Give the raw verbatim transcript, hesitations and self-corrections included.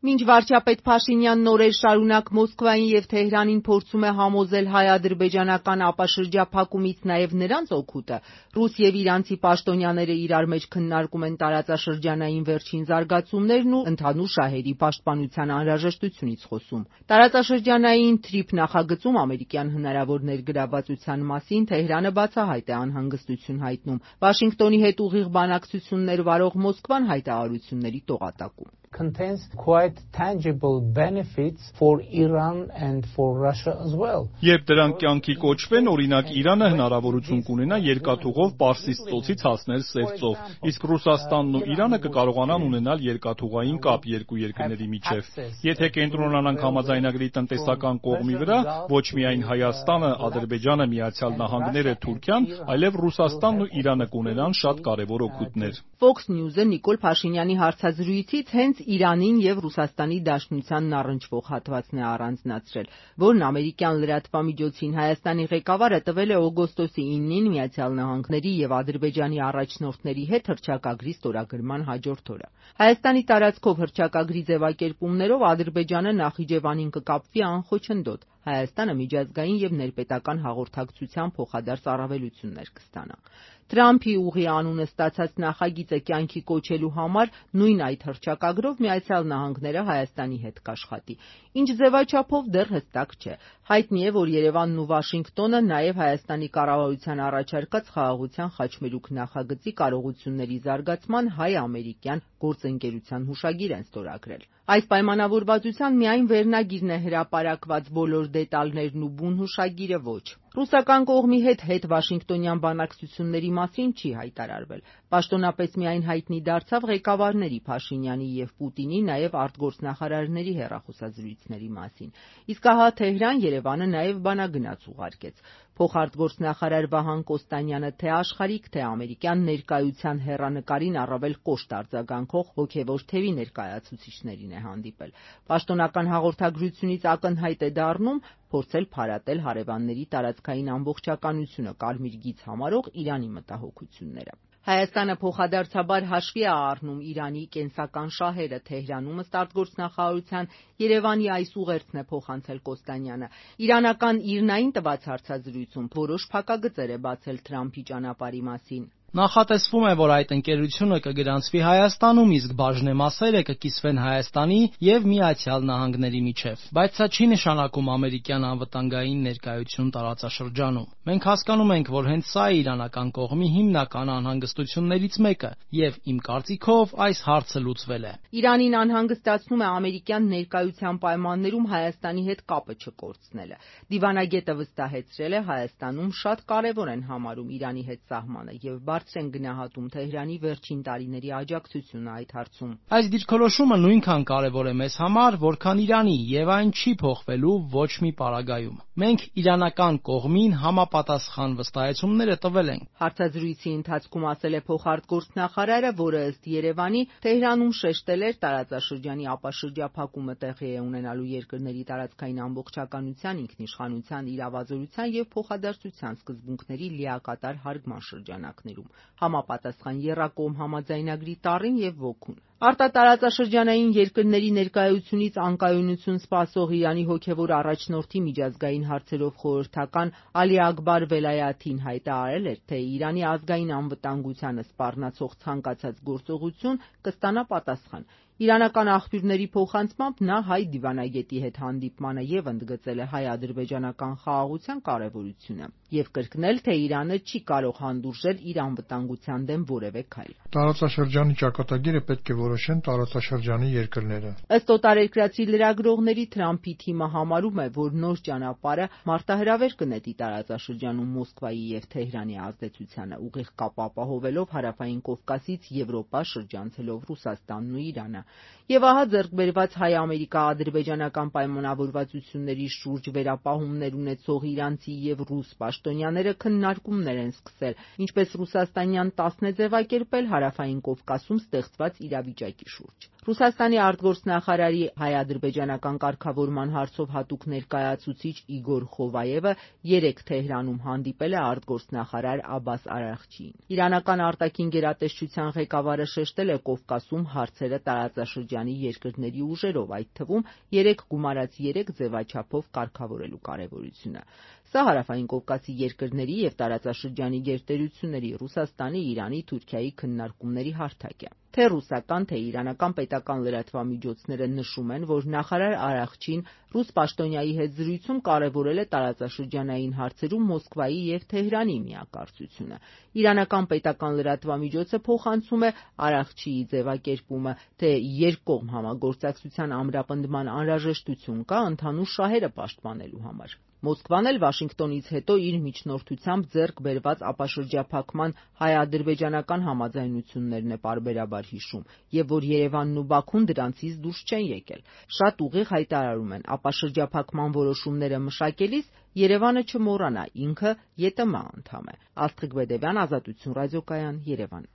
Մինչ վարչապետ Փաշինյանն օրեր շարունակ Մոսկվային և Թեհրանին փորձում է համոզել հայ-ադրբեջանական ապաշրջափակումից նաև նրանց օգուտը, ռուս և իրանցի պաշտոնյաները իրար մեջ քննարկում են տարածաշրջանային վերջին զարգացումներն ու ընդհանուր շահերի պաշտպանության անհրաժեշտությունից խոսում։ Տարածաշրջանային թրիփ նախագծում ամերիկյան հնարավոր ներգրավվածության մասին Թեհրանը բացահայտ է անհանգստություն հայտնում, Վաշինգտոնի հետ ուղիղ բանակցություններ վարող Մոսկվան հայտարարությունների տողատակում։ Contains quite tangible benefits for Iran and for Russia as well. Երբ դրանք կյանքի կոչվեն, օրինակ Իրանը հնարավորություն կունենա երկաթուղով Պարսից ծոցից հասնել Սև ծով, իսկ Ռուսաստանն ու Իրանը կկարողանան ունենալ երկաթուղային կապ երկու երկրների միջև։ Եթե կենտրոնանանք համաձայնագրի տնտեսական կողմի վրա, ոչ միայն Հայաստանը, Ադրբեջանը, Միացյալ Նահանգները, Թուրքիան, այլև Ռուսաստանն ու Իրանը կունենան շատ կարևոր օգուտներ։ Fox News-ը Նիկոլ Փաշինյանի հարցազրույցից հենց Իրանին և Ռուսաստանի Դաշնությանն առնչվող հատվածն է առանձնացրել, որն ամերիկյան լրատվամիջոցին Հայաստանի ղեկավարը տվել է օգոստոսի իննին Միացյալ Նահանգների և Ադրբեջանի առաջնորդների հետ հռչակագրի ստորագրման հաջորդ օրը։ Հայաստանի տարածքով հռչակագրի ձևակերպումներով Ադրբեջանը Նախիջևանին կկապվի անխոչնդոտ, Հայաստանը միջազգային և ներպետական հաղորդակցության փոխադարձ առավելություններ կստանա։ Թրամփի ուղի անունը ստացած նախագիծը կյանքի կոչելու համար նույն այդ հռչակագրով Միացյալ Նահանգները Հայաստանի հետ կաշխատի, ինչ ձևաչափով դեռ հստակ չէ։ Հայտնի է, որ Երևանն ու Վաշինգտոնը նաև Հայաստանի կառավարության առաջարկած խաղաղության խաչմերուկ նախագծի կարողությունների զարգացման հայ-ամերիկյան գործընկերության հուշագիր են ստորագրել։ Այս պայմանավորվածության միայն վերնագիրն է հրապարակված, բոլոր դետալներն ու բուն հուշագիրը ոչ։ Ռուսական կողմի հետ հետ-վաշինգտոնյան բանակցությունների մասին չի հայտարարվել։ Պաշտոնապես միայն հայտնի դարձավ ղեկավարների Փաշինյանի և Պուտինի, նաև արտգործնախարարների հեռախոսազրույցների մասին։ Իսկ ահա Թեհրան Երևանը նաև բանագնաց ուղարկեց։ Փոխարտգործնախարար Վահան Կոստանյանը թե աշխարհիկ, թե ամերիկյան ներկայության հեռանկարին առավել կոշտ արձագանքող հոգևոր թևի ներկայացուցիչներին է հանդիպել։ Պաշտոնական հաղորդագրությունից ակնհայտ է դառնում փորձել փարատել հարևանների տարածքային ամբողջականությունը կարմիր գիծ համարող Իրանի մտահոգությունները։ Հայաստանը փոխադարձաբար հաշվի է առնում Իրանի կենսական շահերը։ Թեհրանում ըստ արտգործնախարարության Երևանի այս ուղերձն է փոխանցել Կոստանյանը։ Իրանական ԻՐՆԱ-ին տված հարցազրույցում որոշ փակագծեր է բացել Թրամփի ճանապարհի մասին։ Նախատեսվում է, որ այդ ընկերությունը կգրանցվի Հայաստանում, իսկ բաժնեմասերը կկիսվեն Հայաստանի և Միացյալ Նահանգների միջև։ Բայց սա չի նշանակում ամերիկյան անվտանգային ներկայություն տարածաշրջանում։ Մենք հասկանում ենք, որ հենց սա է իրանական կողմի հիմնական անհանգստություններից մեկը, և իմ կարծիքով այս հարցը լուծվել է։ Իրանին անհանգստացնում է ամերիկյան ներկայության պայմաններում Հայաստանի հետ կապը չկորցնելը։ Դիվանագետը վստահեցրել է, Հայաստանում շատ կարևոր են համարում Իրանի հետ սահմանը և բարձր են գնահատում Թեհրանի վերջին տարիների աջակցությունը այդ հարցում։ Այս դիրքորոշումը նույնքան կարևոր է մեզ համար, որքան Իրանի, և այն չի փոխվելու ոչ մի պարագայում։ Մենք իրանական կողմին համապատասխան վստահեցումները տվել ենք։ Հարցազրույցի ընթացքում ասել է փոխարտգործնախարարը, որը ըստ Երևանի Թեհրանում շեշտել էր տարածաշրջանի ապաշրջափակումը տեղի է ունենալու երկրների տարածքային ամբողջականության, ինքնիշխանության, իրավազորության և փոխադարձության սկզբունքների լիակատար հարգման շրջանակներում, համապատասխան եռակողմ համաձայնագրի տառին և ոգուն։ Արտատարածաշրջանային երկրների ներկայությունից անկայունություն սպասող Իրանի հոգևոր առաջնորդի միջազգային հարցերով խորհրդական Ալի Աքբար Վելայաթին հայտարարել էր, թե Իրանի ազգային անվտանգությանը սպառնացող ցանկացած գործողություն կստանա պատասխան։ Իրանական աղբյուրների փոխանցմամբ նա հայ դիվանագետի հետ հանդիպմանը և ընդգծել է հայ-ադրբեջանական խաղաղության կարևորությունը և կրկնել, թե Իրանը չի կարող հանդուրժել իր անվտանգության դեմ որևէ քայլ։ Տարածաշրջանի ճակատագիրը պետք է որոշեն տարածաշրջանի երկրները։ Ըստ օտարերկրացի լրագրողների, Թրամփի թիմը համարում է, որ նոր ճանապարհը մարտահրավեր կնետի տարածաշրջանում Մոսկվայի և Թեհրանի ազդեցությանը, ուղիղ կապ ապահովելով Հարավային Կովկասից Եվրոպա շրջանցելով Ռուսաստանն ու Իրանը։ Եվ ահա ձեռք բերված հայ-ամերիկա-ադրբեջանական պայմանավորվածությունների շուրջ վերապահումներ ունեցող իրանցի և ռուս պաշտոնյաները քննարկումներ են սկսել, ինչպես ռուսաստանյան տասն է ձևակերպել Հարավային Կովկասում ստեղծված իրավիճակի իրավիճակի շուրջ։ Ռուսաստանի արտգործնախարարի հայ-ադրբեջանական կարգավորման հարցով հատուկ ներկայացուցիչ Իգոր Խովայևը երեկ Թեհրանում հանդիպել է արտգործնախարար Աբբաս Արաղչիին։ Իրանական արտաքին գերատեսչության ղեկավարը շեշտել է Կովկասում հարցերը տարածաշրջանի երկրների ուժերով, այդ թվում երեք գումարած երեք ձևաչափով կարգավորելու կարևորությունը։ Սա Հարավային Կովկասի երկրների և տարածաշրջանի գերտերությունների Ռուսաստանի, Իրանի, Թուրքիայի քննարկումների հարթակ է։ Թե ռուսական, թե իրանական պետական լրատվամիջոցները նշում են, որ նախարար Արաղչին ռուս պաշտոնյայի հետ զրույցում կարևորել է տարածաշրջանային հարցերում Մոսկվայի և Թեհրանի միակարծությունը։ Իրանական պետական լրատվամիջոցը փոխանցում է Արաղչիի ձևակերպումը, թե երկկողմ համագործակցության ամրապնդման անհրաժեշտություն կա ընդհանուր շահերը պաշտպանելու համար։ Մոսկվան էլ Վաշինգտոնից հետո իր միջնորդությամբ ձեռք բերված ապաշրջափակման հայ-ադրբեջանական համաձայնություններն է պարբերաբար հիշում, և որ Երևանն ու Բաքուն դրանցից դուրս չեն եկել։ Շատ ուղիղ հայտարարում են՝ ապաշրջափակման որոշումները մշակելիս Երևանը չմոռանա, ինքը ԵՏՄ անդամ է։ Աստղիկ Բեդևյան, Ազատություն ռադիոկայան, Երևան։